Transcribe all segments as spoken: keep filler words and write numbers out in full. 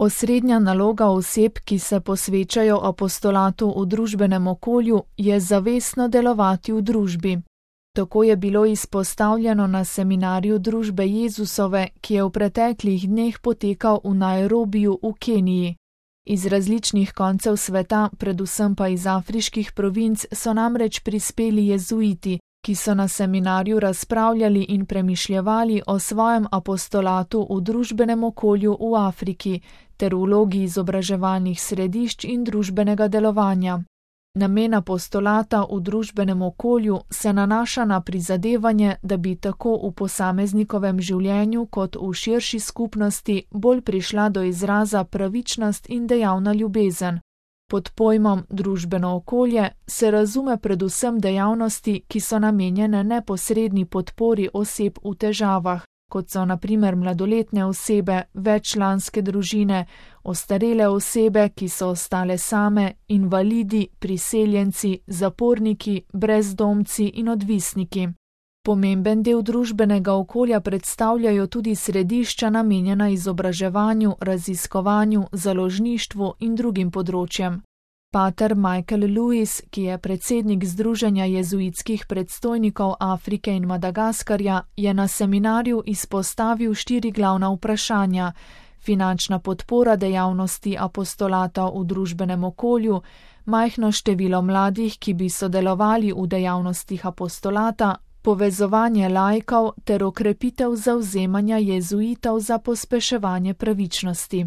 Osrednja naloga oseb, ki se posvečajo apostolatu v družbenem okolju, je zavestno delovati v družbi. Tako je bilo izpostavljeno na seminarju Družbe Jezusove, ki je v preteklih dneh potekal v Nairobiju v Keniji. Iz različnih koncev sveta, predvsem pa iz afriških provinc, so namreč prispeli jezuiti, ki so na seminarju razpravljali in premišljevali o svojem apostolatu v družbenem okolju v Afriki ter vlogi izobraževalnih središč in družbenega delovanja. Namen apostolata v družbenem okolju se nanaša na prizadevanje, da bi tako v posameznikovem življenju kot v širši skupnosti bolj prišla do izraza pravičnost in dejavna ljubezen. Pod pojmom družbeno okolje se razume predvsem dejavnosti, ki so namenjene neposredni podpori oseb v težavah, kot so na primer mladoletne osebe, veččlanske družine, ostarele osebe, ki so ostale same, invalidi, priseljenci, zaporniki, brezdomci in odvisniki. Pomemben del družbenega okolja predstavljajo tudi središča namenjena izobraževanju, raziskovanju, založništvu in drugim področjem. Pater Michael Lewis, ki je predsednik Združenja jezuitskih predstojnikov Afrike in Madagaskarja, je na seminarju izpostavil štiri glavna vprašanja: finančna podpora dejavnosti apostolata v družbenem okolju, majhno število mladih, ki bi sodelovali v dejavnostih apostolata, povezovanje laikov ter okrepitev zavzemanja jezuitov za pospeševanje pravičnosti.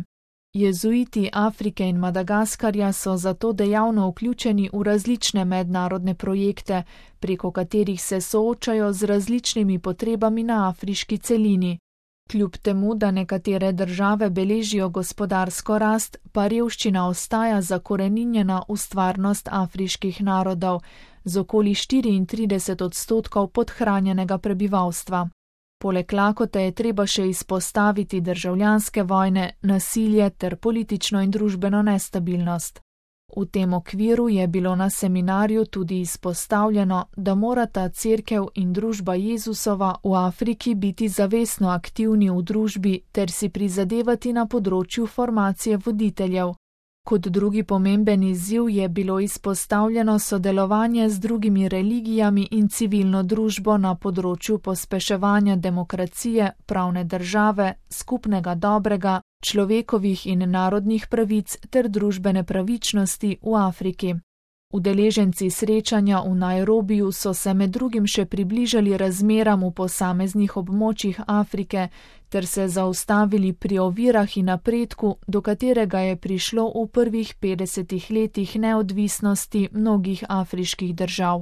Jezuiti Afrike in Madagaskarja so zato dejavno vključeni v različne mednarodne projekte, preko katerih se soočajo z različnimi potrebami na afriški celini. Kljub temu, da nekatere države beležijo gospodarsko rast, pa revščina ostaja zakoreninjena v stvarnost afriških narodov, z okoli štiriintrideset odstotkov podhranjenega prebivalstva. Poleg lakote je treba še izpostaviti državljanske vojne, nasilje ter politično in družbeno nestabilnost. V tem okviru je bilo na seminarju tudi izpostavljeno, da morata cerkev in družba Jezusova v Afriki biti zavestno aktivni v družbi ter si prizadevati na področju formacije voditeljev. Kot drugi pomemben izziv je bilo izpostavljeno sodelovanje z drugimi religijami in civilno družbo na področju pospeševanja demokracije, pravne države, skupnega dobrega, človekovih in narodnih pravic ter družbene pravičnosti v Afriki. Udeleženci srečanja v Nairobiju so se med drugim še približali razmeram v posameznih območjih Afrike ter se zaustavili pri ovirah in napredku, do katerega je prišlo v prvih petdesetih letih neodvisnosti mnogih afriških držav.